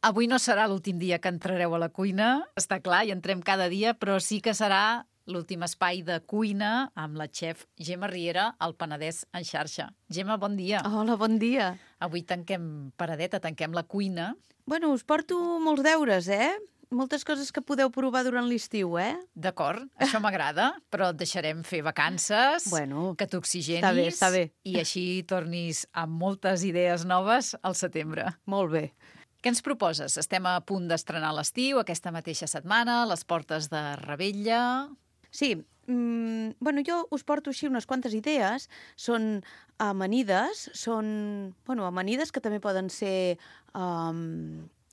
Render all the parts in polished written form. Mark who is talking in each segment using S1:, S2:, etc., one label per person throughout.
S1: Avui no serà l'últim dia que entrareu a la cuina, està clar, hi entrem cada dia, però sí que serà l'últim espai de cuina amb la xef Gemma Riera, al Penedès en xarxa. Gemma, bon dia.
S2: Hola, bon dia.
S1: Avui tanquem paradeta, tanquem la cuina.
S2: Bueno, us porto molts deures, Moltes coses que podeu provar durant l'estiu,
S1: D'acord, això m'agrada, però et deixarem fer vacances, que t'oxigenis
S2: està bé.
S1: I així tornis amb moltes idees noves al setembre.
S2: Molt bé.
S1: Què ens proposes? Estem a punt d'estrenar l'estiu, aquesta mateixa setmana, les portes de Revetlla.
S2: Sí, jo us porto així unes quantes idees. Són amanides, amanides que també poden ser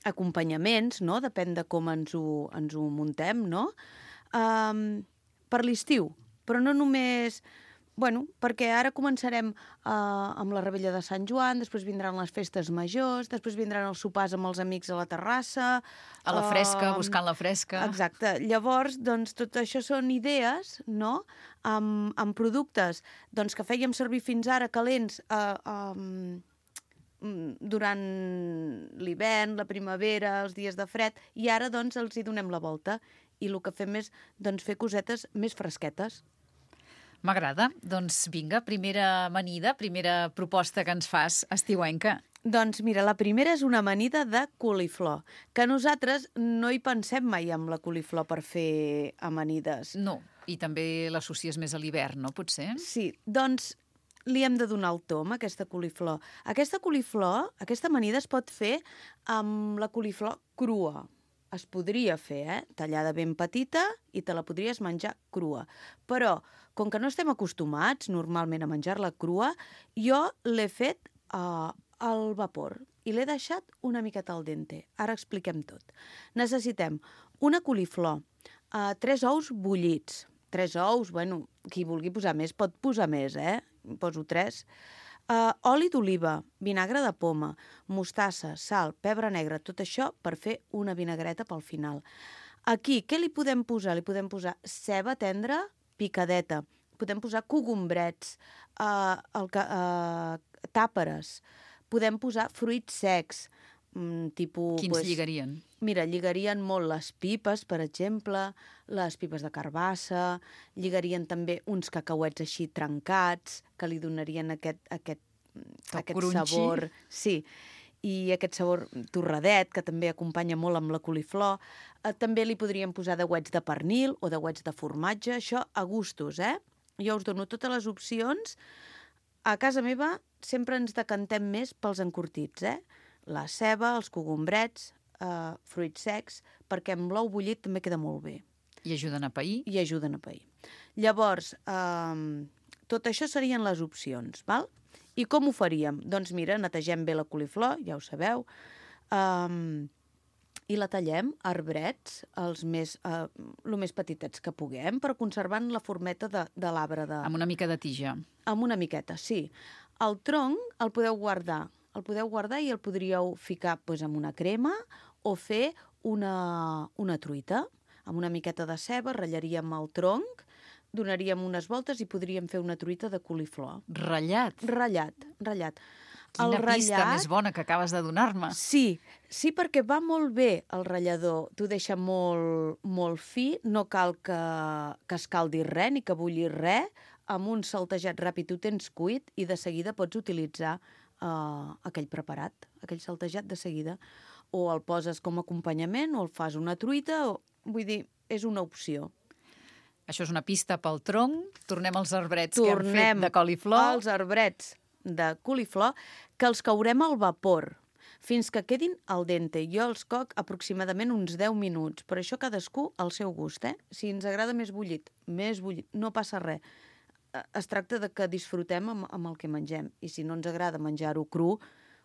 S2: acompanyaments, no? Depèn de com ens ho muntem, no? Per l'estiu, però no només... perquè ara començarem amb la Revetlla de Sant Joan, després vindran les festes majors, després vindran els sopars amb els amics a la terrassa...
S1: A la fresca, buscant la fresca.
S2: Exacte. Llavors, tot això són idees, no?, amb productes que fèiem servir fins ara calents durant l'hivern, la primavera, els dies de fred, i ara, els hi donem la volta. I el que fem és, fer cosetes més fresquetes.
S1: M'agrada. Doncs vinga, primera amanida, primera proposta que ens fas estiuenca.
S2: Doncs mira, la primera és una amanida de coliflor, que nosaltres no hi pensem mai amb la coliflor per fer amanides.
S1: No, i també l'associes més a l'hivern, no? Potser?
S2: Sí, li hem de donar el tom a aquesta coliflor. Aquesta amanida es pot fer amb la coliflor crua. Es podria fer, tallada ben petita, i te la podries menjar crua. Però, com que no estem acostumats normalment a menjar-la crua, jo l'he fet al vapor i l'he deixat una miqueta al dente. Ara expliquem tot. Necessitem una coliflor, 3 ous bullits. 3 ous, qui vulgui posar més pot posar més, Poso 3. Oli d'oliva, vinagre de poma, mostassa, sal, pebre negre, tot això per fer una vinagreta pel final. Aquí, què li podem posar? Li podem posar ceba tendra picadeta, podem posar cogombrets, tàperes, podem posar fruits secs, tipus...
S1: Quins lligarien?
S2: Mira, lligarien molt les pipes, per exemple, les pipes de carbassa, lligarien també uns cacauets així trencats, que li donarien aquest sabor. Sí, i aquest sabor torradet, que també acompanya molt amb la coliflor. També li podríem posar deuets de pernil o deuets de formatge, això a gustos, Jo us dono totes les opcions. A casa meva sempre ens decantem més pels encurtits, La ceba, els cogombrets, fruits secs, perquè amb l'ou bullit també queda molt bé.
S1: I ajuden a pair?
S2: I ajuden a pair. Llavors, tot això serien les opcions, val? I com ho faríem? Doncs mira, netegem bé la coliflor, ja ho sabeu, i la tallem a arbrets, el més petitets que puguem, però conservant la formeta de l'arbre.
S1: Amb una mica de tija.
S2: Amb una miqueta, sí. El tronc el podeu guardar. I el podríeu ficar amb una crema o fer una truita. Amb una miqueta de ceba ratllaríem el tronc, donaríem unes voltes i podríem fer una truita de coliflor.
S1: Ratllat?
S2: Ratllat.
S1: Quina pista més bona que acabes de donar-me.
S2: Sí, perquè va molt bé el ratllador. T'ho deixa molt, molt fi, no cal que escaldi res ni que bulli res. Amb un saltejat ràpid ho tens cuit i de seguida pots utilitzar aquell preparat, aquell saltejat de seguida. O el poses com a acompanyament o el fas una truita, vull dir, és una opció.
S1: Això és una pista pel tronc. Tornem als arbrets que hem fet de coliflor.
S2: Tornem als arbrets de coliflor, que els courem al vapor fins que quedin al dente. Jo els coc aproximadament uns 10 minuts, però això cadascú al seu gust, Si ens agrada més bullit, no passa res. Es tracta de que disfrutem amb el que mengem. I si no ens agrada menjar-ho cru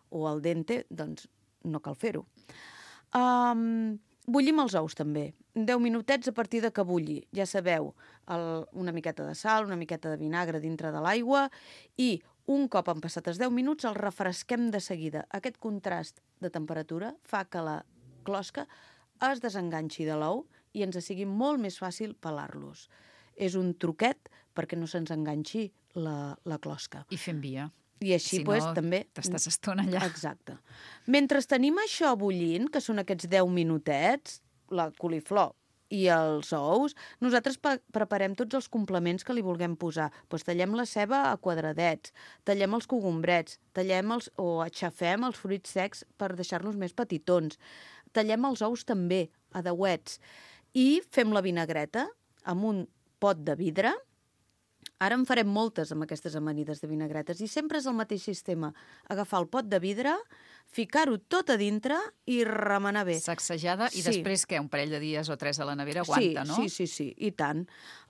S2: o al dente, doncs no cal fer-ho. Bullim els ous, també. 10 minutets a partir de que bulli. Ja sabeu, una miqueta de sal, una miqueta de vinagre dintre de l'aigua i un cop han passat els 10 minuts el refresquem de seguida. Aquest contrast de temperatura fa que la closca es desenganxi de l'ou i ens sigui molt més fàcil pelar-los. És un truquet perquè no se'ns enganxi la closca.
S1: I fem via.
S2: I així,
S1: Si
S2: pues,
S1: no,
S2: també...
S1: t'estàs estona allà.
S2: Exacte. Mentre tenim això bullint, que són aquests 10 minutets, la coliflor i els ous, nosaltres preparem tots els complements que li vulguem posar. Pues tallem la ceba a quadradets, tallem els cogombrets, o aixafem els fruits secs per deixar-los més petitons. Tallem els ous també, a deuets. I fem la vinagreta amb un pot de vidre. Ara en farem moltes amb aquestes amanides de vinagretes i sempre és el mateix sistema. Agafar el pot de vidre, ficar-ho tot a dintre i remenar bé.
S1: Sacsejada i després què? Un parell de dies o 3 a la nevera aguanta, no?
S2: Sí, i tant.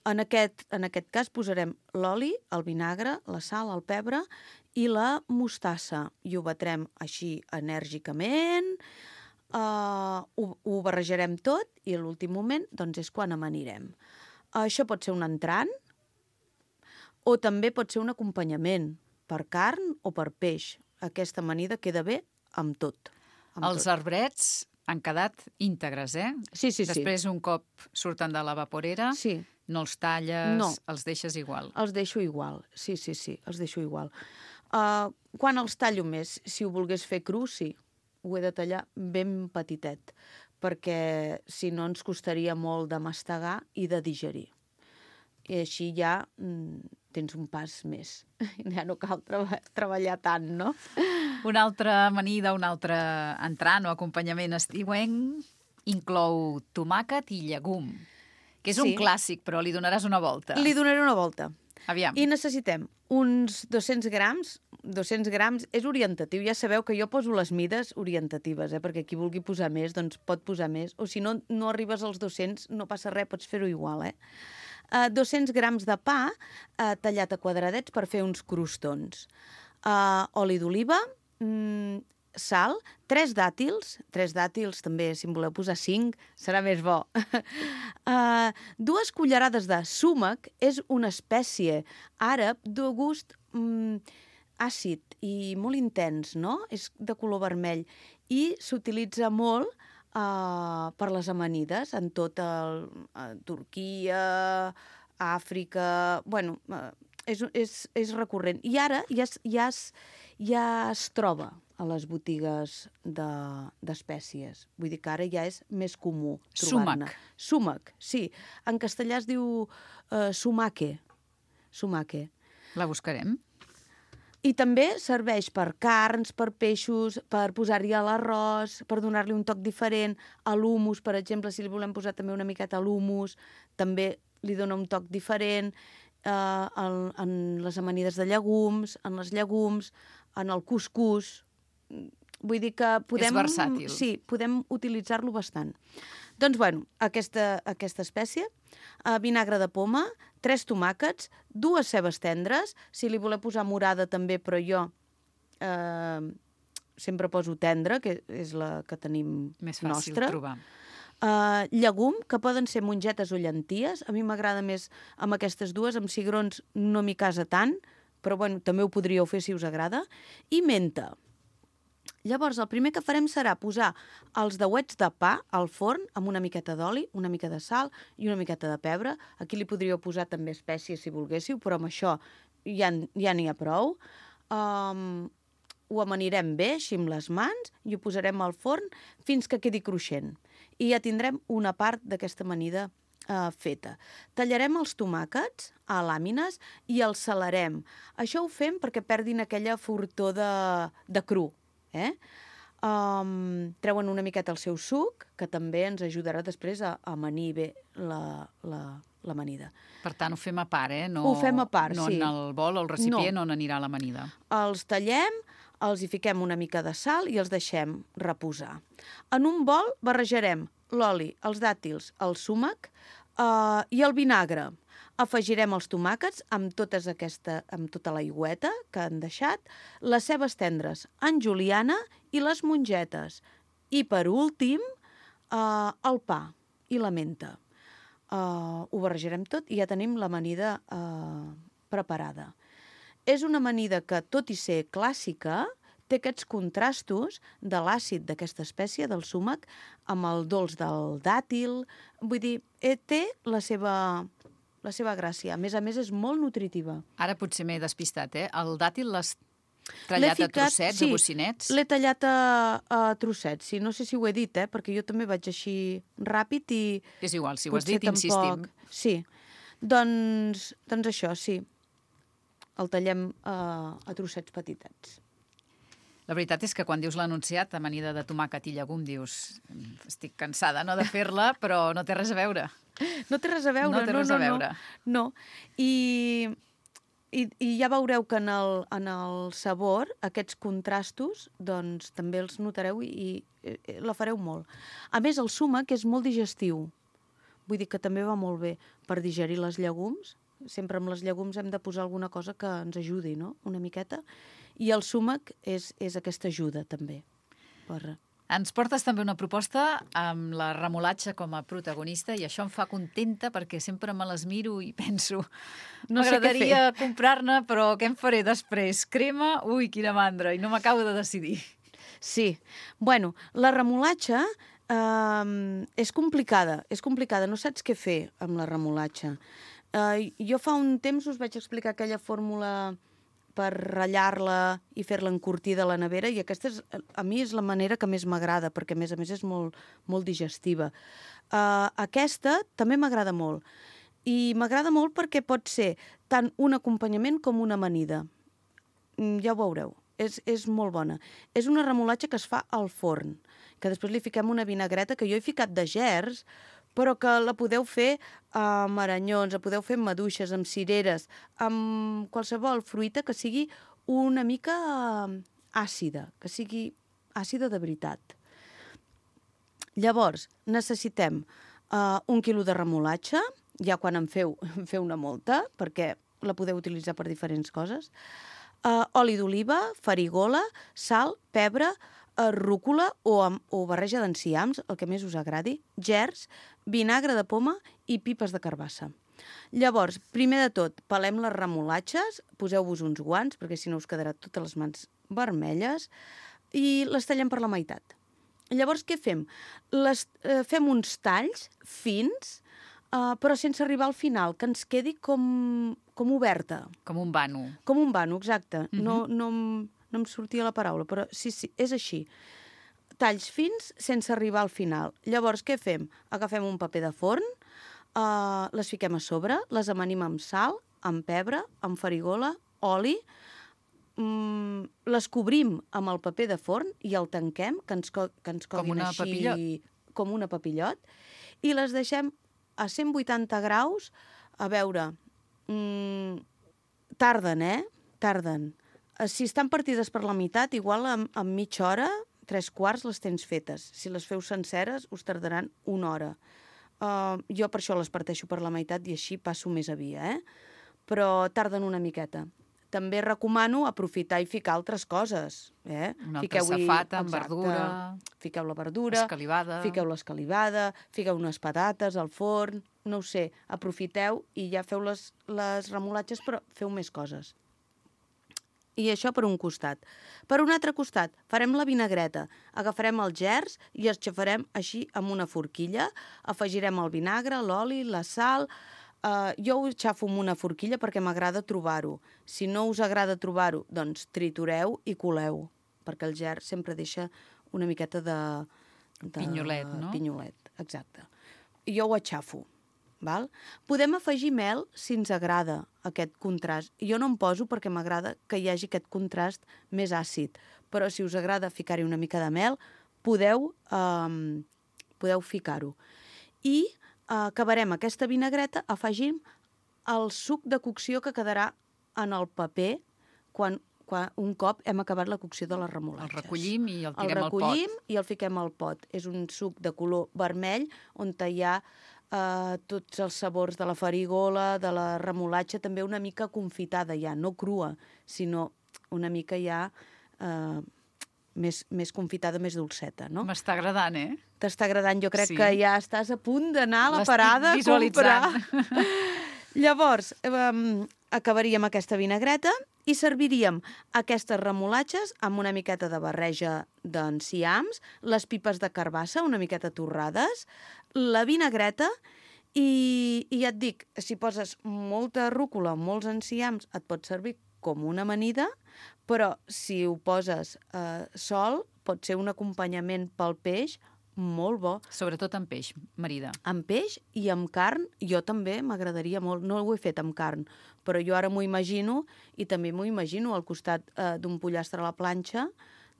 S2: En aquest cas posarem l'oli, el vinagre, la sal, el pebre i la mostassa. I ho batrem així enèrgicament, ho barrejarem tot i a l'últim moment doncs és quan amanirem. Això pot ser un entrant, o també pot ser un acompanyament per carn o per peix. Aquesta amanida queda bé amb tot.
S1: Els arbrets han quedat íntegres, eh?
S2: Sí.
S1: Després, un cop surten de la vaporera, no els talles, els deixes igual.
S2: Els deixo igual, sí, els deixo igual. Quan els tallo més? Si ho volgués fer cru, sí. Ho he de tallar ben petitet, perquè si no ens costaria molt de mastegar i de digerir. I així ja tens un pas més. Ja no cal treballar tant, no?
S1: Una altra amanida, un altre entrant o acompanyament estiuenc inclou tomàquet i llegum, que és un clàssic, però li donaràs una volta.
S2: Li donaré una volta.
S1: Aviam.
S2: I necessitem uns 200 grams. 200 grams és orientatiu. Ja sabeu que jo poso les mides orientatives, perquè qui vulgui posar més, doncs pot posar més. O si no, no arribes als 200, no passa res, pots fer-ho igual, 200 grams de pa tallat a quadradets per fer uns crostons. Oli d'oliva, sal, 3 dàtils també, si en voleu posar 5, serà més bo. 2 cullerades de súmac, és una espècie àrab de gust àcid i molt intens, no? És de color vermell i s'utilitza molt per les amanides en tot Turquia, Àfrica... Bueno, és recurrent. I ara ja es troba a les botigues d'espècies. Vull dir que ara ja és més comú trobar-ne. Súmac, sí. En castellà es diu sumaque.
S1: La buscarem.
S2: I també serveix per carns, per peixos, per posar-hi a l'arròs, per donar-li un toc diferent. A l'humus, per exemple, si li volem posar també una miqueta a l'humus, també li dona un toc diferent. En les amanides de llegums, en els llegums, en el cuscús. Vull dir que podem...
S1: És versàtil.
S2: Sí, podem utilitzar-lo bastant. Doncs, bueno, aquesta espècie, vinagre de poma, 3 tomàquets, 2 cebes tendres, si li voleu posar morada també, però jo sempre poso tendra, que és la que tenim
S1: més fàcil
S2: nostra.
S1: Trobar.
S2: Llegum, que poden ser mongetes o llenties. A mi m'agrada més amb aquestes dues, amb cigrons no m'hi casa tant, però bueno, també ho podríeu fer si us agrada. I menta. Llavors, el primer que farem serà posar els deuets de pa al forn amb una miqueta d'oli, una mica de sal i una miqueta de pebre. Aquí li podríeu posar també espècies si volguéssiu, però amb això ja n'hi ha prou. Ho amanirem bé, així amb les mans, i ho posarem al forn fins que quedi cruixent. I ja tindrem una part d'aquesta amanida feta. Tallarem els tomàquets a làmines i els salarem. Això ho fem perquè perdin aquella fortor de cru. Treuen una miqueta el seu suc, que també ens ajudarà després a amanir bé l'amanida.
S1: Per tant, ho fem a part, No,
S2: ho fem a part,
S1: no en el bol o el recipient on anirà l'amanida.
S2: Els tallem, els hi fiquem una mica de sal i els deixem reposar. En un bol barrejarem l'oli, els dàtils, el súmac i el vinagre. Afegirem els tomàquets amb tota l'aigüeta que han deixat, les cebes tendres en juliana i les mongetes. I, per últim, el pa i la menta. Ho barrejarem tot i ja tenim l'amanida preparada. És una amanida que, tot i ser clàssica, té aquests contrastos de l'àcid d'aquesta espècie, del súmac, amb el dolç del dàtil. Vull dir, té la seva gràcia. A més, és molt nutritiva.
S1: Ara potser m'he despistat, El dàtil Tallat a trossets, a bocinets?
S2: L'he tallat a trossets, sí. No sé si ho he dit, perquè jo també vaig així ràpid i...
S1: És igual, si ho has dit, insistim.
S2: Sí. Doncs això, sí. El tallem a trossets petitets.
S1: La veritat és que quan dius l'anunciat, amanida de tomàquet i llegum, dius estic cansada de fer-la, però no té res a veure.
S2: No té res a veure.
S1: No té res a veure.
S2: No. I ja veureu que en el sabor, aquests contrastos, doncs també els notareu i la fareu molt. A més, el súmac és molt digestiu. Vull dir que també va molt bé per digerir les llegums. Sempre amb les llegums hem de posar alguna cosa que ens ajudi, no?, una miqueta. I el súmac és aquesta ajuda, també.
S1: Ens portes també una proposta amb la remolatxa com a protagonista i això em fa contenta perquè sempre me les miro i penso m'agradaria comprar-ne, però què em faré després? Crema? Ui, quina mandra! I no m'acabo de decidir.
S2: Sí. Bueno, la remolatxa és complicada. És complicada. No saps què fer amb la remolatxa. Jo fa un temps us vaig explicar aquella fórmula per ratllar-la i fer-la encurtida a la nevera, i aquesta a mi és la manera que més m'agrada, perquè a més és molt, molt digestiva. Aquesta també m'agrada molt. I m'agrada molt perquè pot ser tant un acompanyament com una amanida. Ja ho veureu. És molt bona. És una remolatxa que es fa al forn, que després li fiquem una vinagreta, que jo he ficat de gerds, però que la podeu fer amb aranyons, la podeu fer amb maduixes, amb cireres, amb qualsevol fruita que sigui una mica àcida, que sigui àcida de veritat. Llavors, necessitem 1 quilo de remolatxa, ja quan en feu una molta, perquè la podeu utilitzar per diferents coses, oli d'oliva, farigola, sal, pebre, rúcula o barreja d'enciams, el que més us agradi, gerds, vinagre de poma i pipes de carbassa. Llavors, primer de tot, pelem les remolatxes, poseu-vos uns guants, perquè si no us quedarà totes les mans vermelles, i les tallem per la meitat. Llavors, què fem? Fem uns talls fins, però sense arribar al final, que ens quedi com oberta.
S1: Com un vano.
S2: Com un vano, exacte. No em sortia la paraula, però sí, és així. Talls fins sense arribar al final. Llavors, què fem? Agafem un paper de forn, les fiquem a sobre, les amanim amb sal, amb pebre, amb farigola, oli, les cobrim amb el paper de forn i el tanquem, que ens coguin així com una papillot, i les deixem a 180 graus, a veure, tarden, Tarden. Si estan partides per la meitat, igual en mitja hora, 3/4 les tens fetes. Si les feu senceres, us tardaran 1 hora. Jo per això les parteixo per la meitat i així passo més a via, Però tarden una miqueta. També recomano aprofitar i ficar altres coses.
S1: Una altra safata amb verdura.
S2: Fiqueu la verdura, fiqueu l'escalivada, fiqueu unes patates al forn, no ho sé, aprofiteu i ja feu les remolatxes, però feu més coses. I això per un costat. Per un altre costat, farem la vinagreta. Agafarem els gerds i els xafarem així amb una forquilla. Afegirem el vinagre, l'oli, la sal. Jo ho xafo amb una forquilla perquè m'agrada trobar-ho. Si no us agrada trobar-ho, doncs tritureu i coleu, perquè el gerd sempre deixa una miqueta de
S1: pinyolet, no?
S2: Pinyolet, exacte. Jo ho aixafo. Val? Podem afegir mel si ens agrada aquest contrast. Jo no em poso perquè m'agrada que hi hagi aquest contrast més àcid, però si us agrada ficar-hi una mica de mel, podeu ficar-ho. I acabarem aquesta vinagreta afegint el suc de cocció que quedarà en el paper quan un cop hem acabat la cocció de les remolatxes.
S1: El recollim i el tirem al pot.
S2: El recollim i el fiquem al pot. És un suc de color vermell on hi ha tots els sabors de la farigola, de la remolatxa, també una mica confitada ja, no crua, sinó una mica ja més confitada, més dolceta, no?
S1: M'està agradant,
S2: T'està agradant, jo crec que ja estàs a punt d'anar a la parada a comprar. Llavors, acabaríem aquesta vinagreta i serviríem aquestes remolatxes amb una miqueta de barreja d'enciams, les pipes de carbassa una miqueta torrades, la vinagreta i ja et dic, si poses molta rúcula, molts enciams, et pot servir com una amanida, però si ho poses sol, pot ser un acompanyament pel peix molt bo.
S1: Sobretot amb peix, marida.
S2: Amb peix i amb carn, jo també m'agradaria molt. No ho he fet amb carn, però jo ara m'ho imagino i també m'ho imagino al costat d'un pollastre a la planxa,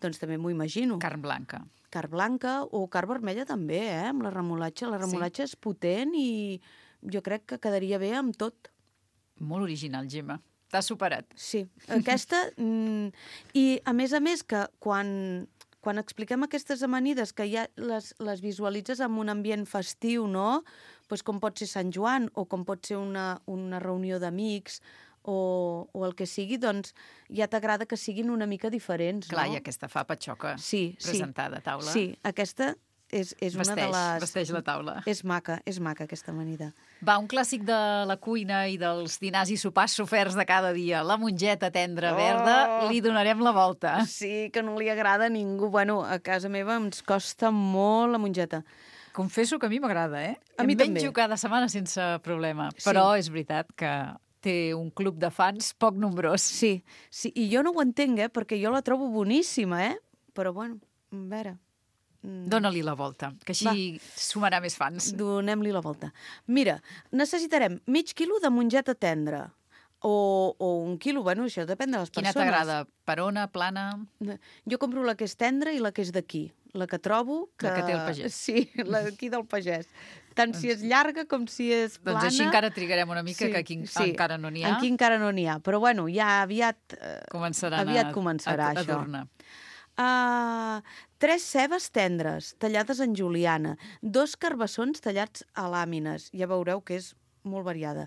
S2: doncs també m'ho imagino.
S1: Carn blanca.
S2: Carn blanca o carn vermella també, amb la remolatxa. La remolatxa és potent i jo crec que quedaria bé amb tot.
S1: Molt original, Gemma. T'has superat.
S2: Sí, aquesta... I a més, que quan expliquem aquestes amanides, que ja les visualitzes en un ambient festiu, no? Pues com pot ser Sant Joan o com pot ser una reunió d'amics o el que sigui, doncs ja t'agrada que siguin una mica diferents, no?
S1: Clar, i aquesta fa patxoca presentada a taula.
S2: Sí, aquesta és una de les...
S1: Vesteix la taula.
S2: És maca aquesta amanida.
S1: Va, un clàssic de la cuina i dels dinars i sopars soferts de cada dia. La mongeta tendra verda, li donarem la volta.
S2: Sí, que no li agrada a ningú. Bueno, a casa meva ens costa molt la mongeta.
S1: Confesso que a mi m'agrada, eh?
S2: A mi també.
S1: Menjo cada setmana sense problema. Sí. Però és veritat que té un club de fans poc nombrós.
S2: Sí, i jo no ho entenc, perquè jo la trobo boníssima, Però, bueno, a veure...
S1: Dóna-li la volta, que així sumarà més fans.
S2: Donem-li la volta. Mira, necessitarem mig quilo de mongeta tendra. O 1 quilo, bueno, això depèn de les persones.
S1: Quina t'agrada? Perona, plana?
S2: Jo compro la que és tendra i la que és d'aquí. La que trobo que...
S1: La que té el pagès.
S2: Sí, la d'aquí del pagès. Tant si és llarga com si és plana.
S1: Doncs així encara trigarem una mica, que aquí encara no n'hi ha.
S2: Aquí encara no n'hi ha, però bueno, ja aviat començarà
S1: a
S2: això.
S1: tornar.
S2: 3 cebes tendres, tallades en juliana, 2 carbassons tallats a làmines, ja veureu que és molt variada,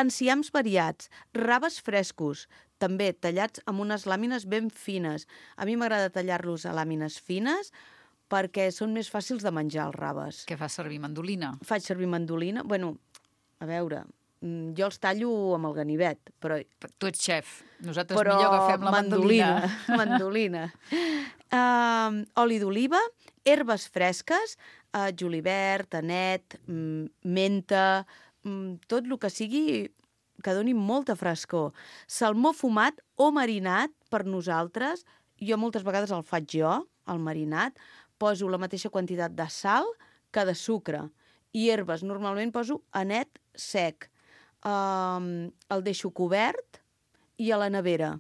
S2: enciams variats, raves frescos, també tallats amb unes làmines ben fines. A mi m'agrada tallar-los a làmines fines perquè són més fàcils de menjar, els raves.
S1: Què fas servir, mandolina?
S2: Faig servir mandolina. Bueno, a veure, jo els tallo amb el ganivet, però...
S1: Tu ets xef. Nosaltres millor agafem la mandolina.
S2: Mandolina. Oli d'oliva, herbes fresques, julivert, anet, menta, tot el que sigui que doni molta frescor. Salmó fumat o marinat per nosaltres. Jo moltes vegades el faig jo, el marinat. Poso la mateixa quantitat de sal que de sucre. I herbes, normalment poso anet sec. El deixo cobert i a la nevera.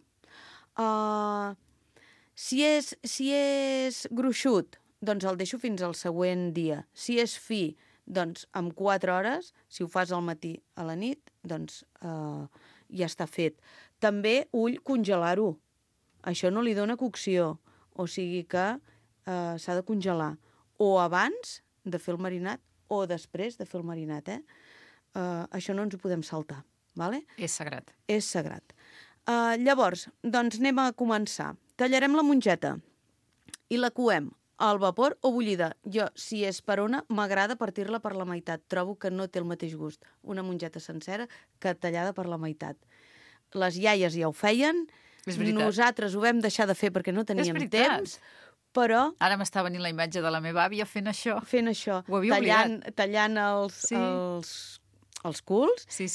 S2: Si és gruixut, doncs el deixo fins al següent dia. Si és fi, doncs amb 4 hores, si ho fas al matí a la nit, doncs ja està fet. També ull congelar-ho. Això no li dona cocció, o sigui que s'ha de congelar. O abans de fer el marinat o després de fer el marinat, això no ens ho podem saltar, vale?
S1: És sagrat.
S2: És sagrat. Llavors, doncs anem a començar. Tallarem la mongeta i la coem al vapor o bullida. Jo, si és perona, m'agrada partir-la per la meitat. Trobo que no té el mateix gust una mongeta sencera que tallada per la meitat. Les iaies ja ho feien.
S1: És veritat.
S2: Nosaltres ho vam deixar de fer perquè no teníem temps, però...
S1: Ara m'està venint la imatge de la meva àvia fent això.
S2: Fent això.
S1: Ho havia oblidat.
S2: Tallant els culs.
S1: Sí.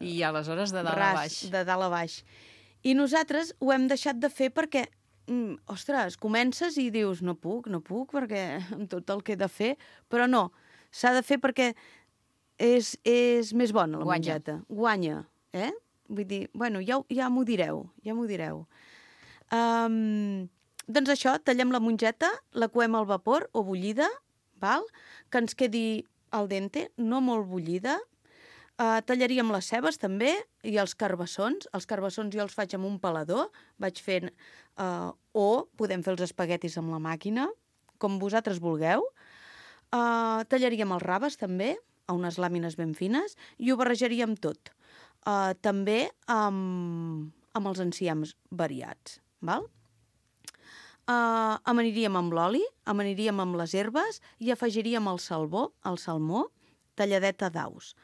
S1: I aleshores de dalt a baix.
S2: De dalt a baix. I nosaltres ho hem deixat de fer perquè, ostres, comences i dius, no puc, perquè amb tot el que he de fer, però no, s'ha de fer perquè és més bona la mongeta. Guanya, Vull dir, bueno, ja m'ho direu, Doncs això, tallem la mongeta, la coem al vapor o bullida, val? Que ens quedi al dente, no molt bullida. Tallaríem les cebes també i els carbassons. Els carbassons jo els faig amb un pelador, vaig fent... o podem fer els espaguetis amb la màquina, com vosaltres vulgueu. Tallaríem els raves també, a unes làmines ben fines, i ho barrejaríem tot. També amb els enciams variats, val? Amaniríem amb l'oli, amaniríem amb les herbes i afegiríem el salmó, talladet a daus.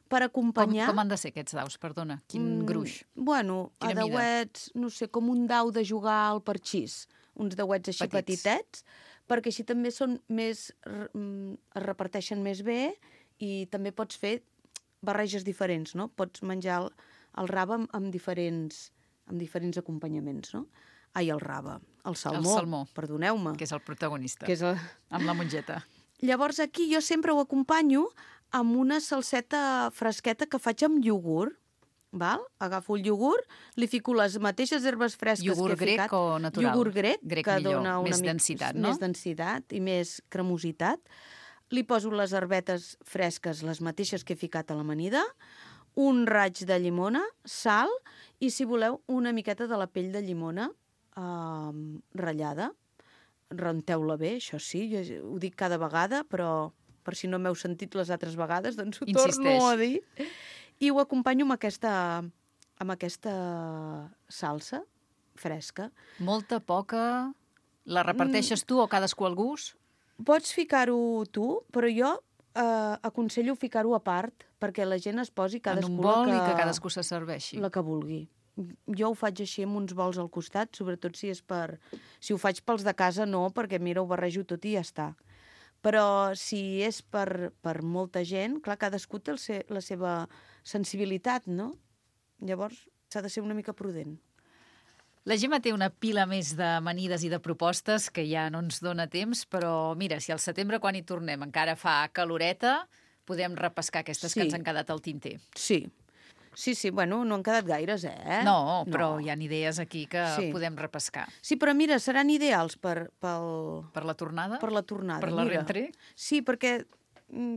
S2: Per acompanyar...
S1: Com han de ser aquests daus, perdona? Quin gruix?
S2: Bueno, a dauets, no sé, com un dau de jugar al parxís. Uns dauets així petitets, perquè així també són més... es reparteixen més bé i també pots fer barreges diferents, no? Pots menjar el rave amb diferents amb diferents acompanyaments, no? Ai, el rave, el salmó. Perdoneu-me.
S1: Que és el protagonista,
S2: Que és el...
S1: amb la mongeta.
S2: Llavors aquí jo sempre ho acompanyo amb una salseta fresqueta que faig amb iogurt. Val? Agafo el iogurt, li fico les mateixes herbes fresques
S1: iogurt
S2: que he ficat.
S1: Grec o natural?
S2: Iogurt grec, que
S1: millor,
S2: dona
S1: més densitat, no?
S2: Més densitat i més cremositat. Li poso les herbetes fresques, les mateixes que he ficat a l'amanida, un raig de llimona, sal i, si voleu, una miqueta de la pell de llimona ratllada. Renteu-la bé, això sí, jo ho dic cada vegada, però per si no m'heu sentit les altres vegades, doncs ho torno a dir. I ho acompanyo amb aquesta salsa fresca.
S1: Molta, poca... La reparteixes tu o cadascú al gust?
S2: Pots ficar-ho tu, però jo aconsello ficar-ho a part perquè la gent es posi cadascú
S1: en un bol i que cadascú se serveixi.
S2: La que vulgui. Jo ho faig així amb uns bols al costat, sobretot si és per... Si ho faig pels de casa, no, perquè mira, ho barrejo tot i ja està. Però si és per molta gent, clar, cadascú té la seva sensibilitat, no? Llavors s'ha de ser una mica prudent.
S1: La Gemma té una pila més d'amanides i de propostes que ja no ens dona temps, però mira, si al setembre, quan hi tornem, encara fa caloreta, podem repescar aquestes que ens han quedat al tinter.
S2: Sí, bueno, no han quedat gaires,
S1: No, però hi ha idees aquí que podem repescar.
S2: Sí, però mira, seran ideals per
S1: la tornada?
S2: Per la tornada,
S1: per la rentrée?
S2: Sí, perquè...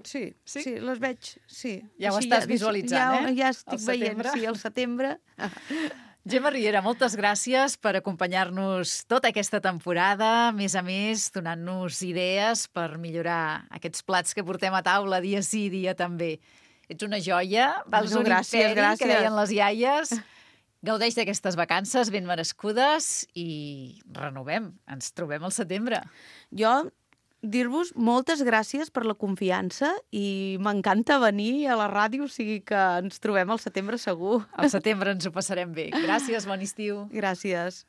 S2: Sí, les veig, sí.
S1: Ja ho estàs visualitzant,
S2: Ja estic veient, sí, al setembre.
S1: Gemma Riera, moltes gràcies per acompanyar-nos tota aquesta temporada, a més, donant-nos idees per millorar aquests plats que portem a taula dia sí, dia també. Ets una joia, vals un imperi, que deien les iaies. Gaudeix d'aquestes vacances ben merescudes i renovem, ens trobem al setembre.
S2: Jo dir-vos moltes gràcies per la confiança i m'encanta venir a la ràdio, o sigui que ens trobem al setembre segur.
S1: Al setembre ens ho passarem bé. Gràcies, bon estiu.
S2: Gràcies.